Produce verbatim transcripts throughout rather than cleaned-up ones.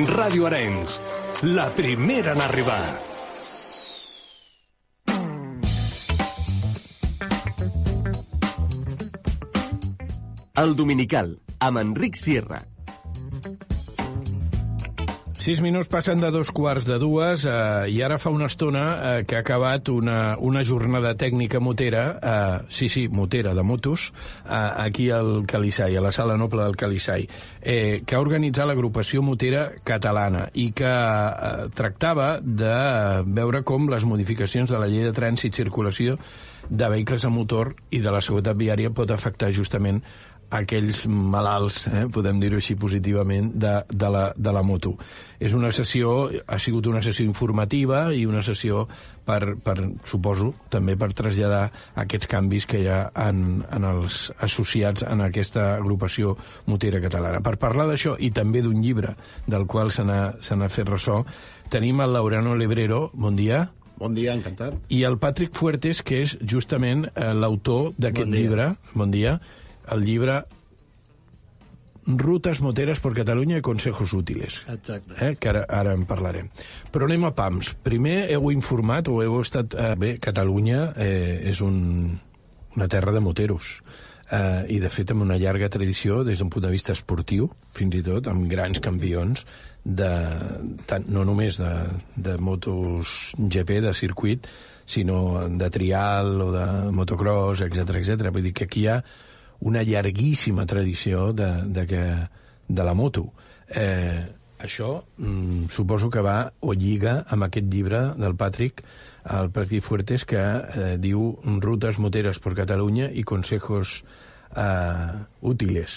Ràdio Arenys, la primera en arribar. El Dominical, amb Enric Sierra. Sis minuts passen de dos quarts de dues eh, i ara fa una estona eh, que ha acabat una, una jornada tècnica motera, eh, sí, sí, motera de motos, eh, aquí al Calissai, a la Sala Noble del Calissai, eh, que ha organitzat l'agrupació motera catalana i que eh, tractava de veure com les modificacions de la llei de trànsit i circulació de vehicles a motor i de la seguretat viària pot afectar justament aquells malalts, eh, podem dir-ho així positivament, de, de, la, de la moto. És una sessió, ha sigut una sessió informativa i una sessió per, per suposo, també per traslladar aquests canvis que hi ha en, en els associats en aquesta agrupació motera catalana. Per parlar d'això i també d'un llibre del qual se n'ha se n'ha fet ressò, tenim el Laureano Lebrero. Bon dia. Bon dia, encantat. I el Patrick Fuertes, que és justament eh, l'autor d'aquest Bon llibre. Bon dia. El llibre Rutes moteres per Catalunya i consejos útiles. Exacte. Eh? Que ara, ara en parlarem. Però anem a pams. Primer heu informat o heu estat... Eh, bé, Catalunya eh, és un, una terra de moteros. Eh, I, de fet, amb una llarga tradició des d'un punt de vista esportiu, fins i tot, amb grans campions, de, tant, no només de, de motos G P, de circuit, sinó de trial o de motocross, etcètera, etcètera. Vull dir que aquí hi ha una llarguíssima tradició de, de, que, de la moto. Eh, això mm, suposo que va o lliga amb aquest llibre del Patrick, el Patrick Fuertes, que eh, diu Rutes moteres per Catalunya i consejos eh, útiles.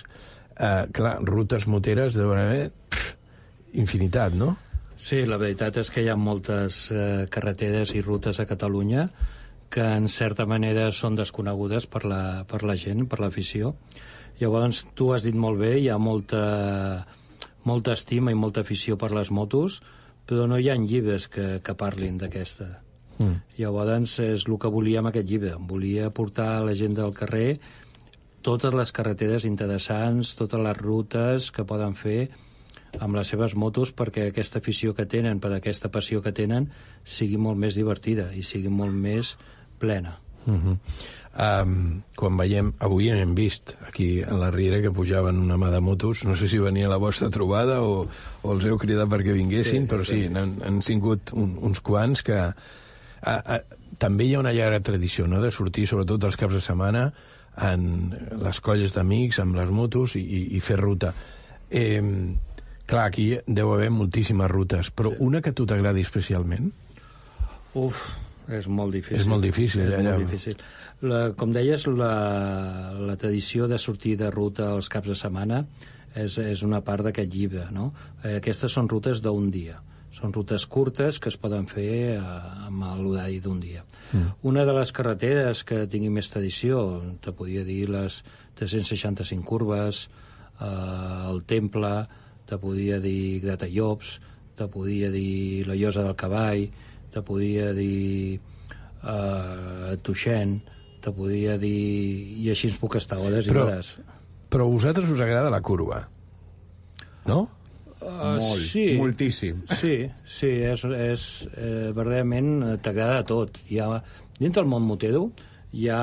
Eh, clar, rutes moteres deuen haver pff, infinitat, no? Sí, la veritat és que hi ha moltes eh, carreteres i rutes a Catalunya que en certa manera són desconegudes per la, per la gent, per l'afició. Llavors, tu has dit molt bé, hi ha molta, molta estima i molta afició per les motos, però no hi ha llibres que, que parlin d'aquesta. Mm. Llavors, és el que volia amb aquest llibre. Volia portar a la gent del carrer totes les carreteres interessants, totes les rutes que poden fer amb les seves motos perquè aquesta afició que tenen, per aquesta passió que tenen, sigui molt més divertida i sigui molt més plena. Uh-huh. Um, quan veiem, avui hem vist aquí a la Riera que pujaven una mà de motos, no sé si venia la vostra trobada o, o els heu cridat perquè vinguessin, sí, però sí, han, han sigut un, uns quants que... A, a, també hi ha una llarga tradició, no?, de sortir, sobretot els caps de setmana, en les colles d'amics, amb les motos i, i, i fer ruta. Eh, clar, aquí deu haver moltíssimes rutes, però sí. Una que a tu t'agradi especialment? Uf, és molt difícil. És molt difícil, és allà. molt difícil. La, com deies, la, la tradició de sortir de ruta els caps de setmana és, és una part d'aquest llibre, no? Eh, aquestes són rutes d'un dia. Són rutes curtes que es poden fer eh, amb l'horari d'un dia. Mm. Una de les carreteres que tingui més tradició, te podria dir les tres-cents seixanta-cinc curves, eh, el Temple, te podria dir Gratallops, te podria dir la Llosa del Cavall, te podria dir eh, Tuixén, te podria dir... I així ens puc estar hores i hores. Però a vosaltres us agrada la curva, no? Uh, Molt, sí, moltíssim. Sí, sí, és, és eh, verdaderament t'agrada tot. Hi ha, dintre del món motero hi ha,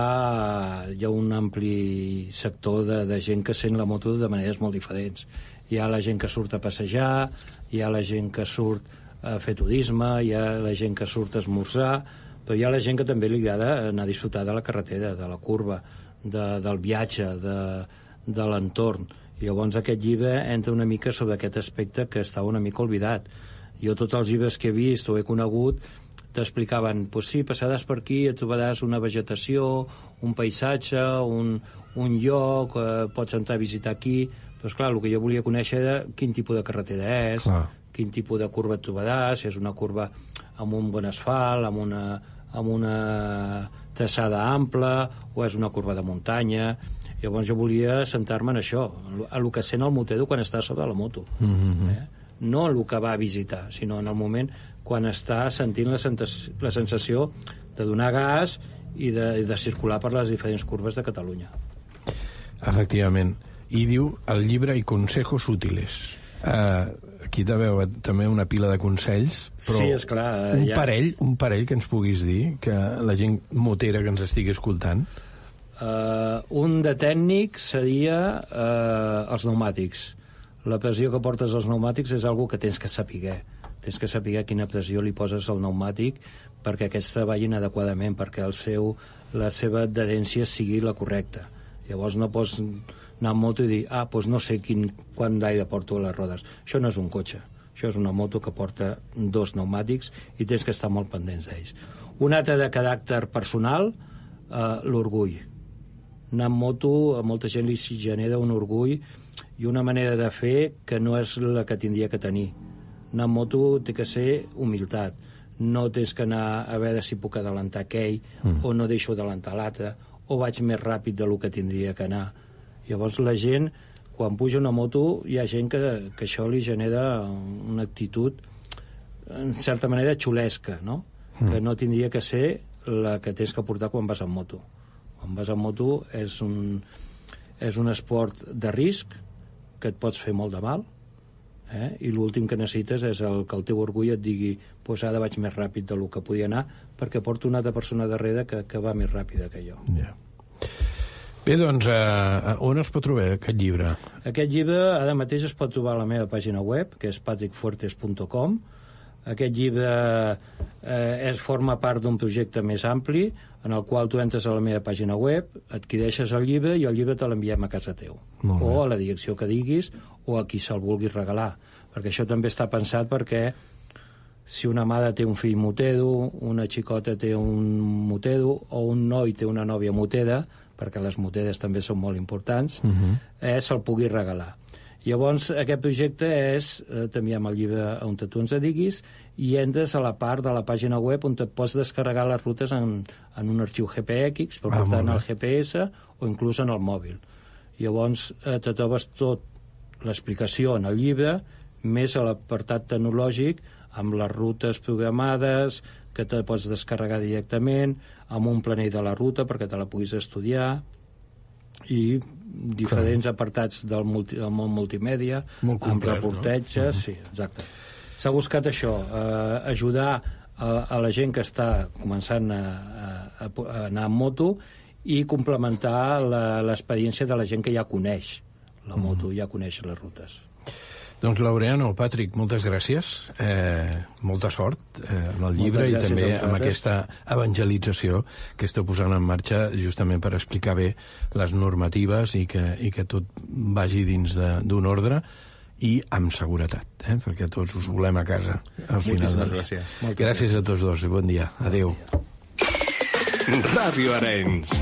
hi ha un ampli sector de, de gent que sent la moto de maneres molt diferents. Hi ha la gent que surt a passejar, hi ha la gent que surt a fer turisme, hi ha la gent que surt a esmorzar, però hi ha la gent que també li agrada anar a disfrutar de la carretera, de la curva, de, del viatge, de, de l'entorn. I llavors aquest llibre entra una mica sobre aquest aspecte que estava una mica oblidat. Jo tots els llibres que he vist o he conegut t'explicaven, pues sí, passaràs per aquí, et trobaràs una vegetació, un paisatge, un, un lloc, eh, pots entrar a visitar aquí. Però, esclar, el que jo volia conèixer era quin tipus de carretera és, clar. Quin tipus de curva et trobaràs, si és una curva amb un bon asfalt, amb una, amb una traçada ampla, o és una curva de muntanya. Llavors jo volia centrar-me en això, en el que sent el motero quan està sobre la moto. Mm-hmm. eh? No en el que va a visitar, sinó en el moment quan està sentint la, sensació, la sensació de donar gas i de, de circular per les diferents curves de Catalunya. Efectivament. I diu el llibre i consejos útiles. Uh, aquí deveu també una pila de consells, però sí, esclar, un, ja... parell, un parell que ens puguis dir, que la gent motera que ens estigui escoltant. Uh, un de tècnic seria uh, els pneumàtics. La pressió que portes als pneumàtics és algo que tens que saber. Tens que saber quina pressió li poses al pneumàtic perquè aquests treballin adequadament, perquè el seu, la seva adherència sigui la correcta. Llavors no pots anar en moto i dir, ah, doncs no sé quin, quant d'aire porto a les rodes. Això no és un cotxe, això és una moto que porta dos pneumàtics i tens que estar molt pendents d'ells. Un altre de caràcter personal, eh, l'orgull. Anar en moto, a molta gent li genera un orgull i una manera de fer que no és la que tindria que tenir. Anar en moto té que ser humilitat. No tens que anar a veure si puc adelantar aquell, mm. o no deixo adelantar l'altre, o vaig més ràpid del que tindria que anar. Llavors la gent, quan puja una moto, hi ha gent que, que això li genera una actitud, en certa manera, xulesca, no? Mm. Que no tindria que ser la que tens que portar quan vas en moto. Quan vas en moto és un, és un esport de risc que et pots fer molt de mal, eh? I l'últim que necessites és el que el teu orgull et digui pues ara vaig més ràpid del que podia anar perquè porto una altra persona darrere que, que va més ràpida que jo. Yeah. Bé, doncs, eh, on es pot trobar aquest llibre? Aquest llibre ara mateix es pot trobar a la meva pàgina web, que és patrick fuertes punt com. Aquest llibre eh, es forma part d'un projecte més ampli en el qual tu entres a la meva pàgina web, adquireixes el llibre i el llibre te l'enviem a casa teu. O a la direcció que diguis o a qui se'l vulguis regalar. Perquè això també està pensat perquè si una mare té un fill motero, una xicota té un motero o un noi té una nòvia motera, perquè les moteres també són molt importants, uh-huh. eh, se'l pugui regalar. Llavors, aquest projecte és, eh, t'enviem el llibre on tu ens diguis i entres a la part de la pàgina web on et pots descarregar les rutes en, en un arxiu G P X per ah, portar en el G P S o inclús en el mòbil. Llavors, eh, te trobes tot l'explicació en el llibre, més a l'apartat tecnològic, amb les rutes programades, que te pots descarregar directament, amb un planell de la ruta perquè te la puguis estudiar, i diferents Clar. apartats del, multi, del món multimèdia, Molt complet, amb reportatges, no? Sí, exacte. S'ha buscat això, eh, ajudar a, a la gent que està començant a, a, a anar en moto i complementar l'experiència de la gent que ja coneix la moto, mm. ja coneix les rutes. Doncs, Laureano, Patrick, moltes gràcies. Eh, molta sort eh, amb el llibre i també amb aquesta evangelització que esteu posant en marxa justament per explicar bé les normatives i que, i que tot vagi dins d'un ordre i amb seguretat, eh, perquè tots us volem a casa. Al Moltíssimes final gràcies. Gràcies a tots dos i bon dia. Adéu. Ràdio Arenys.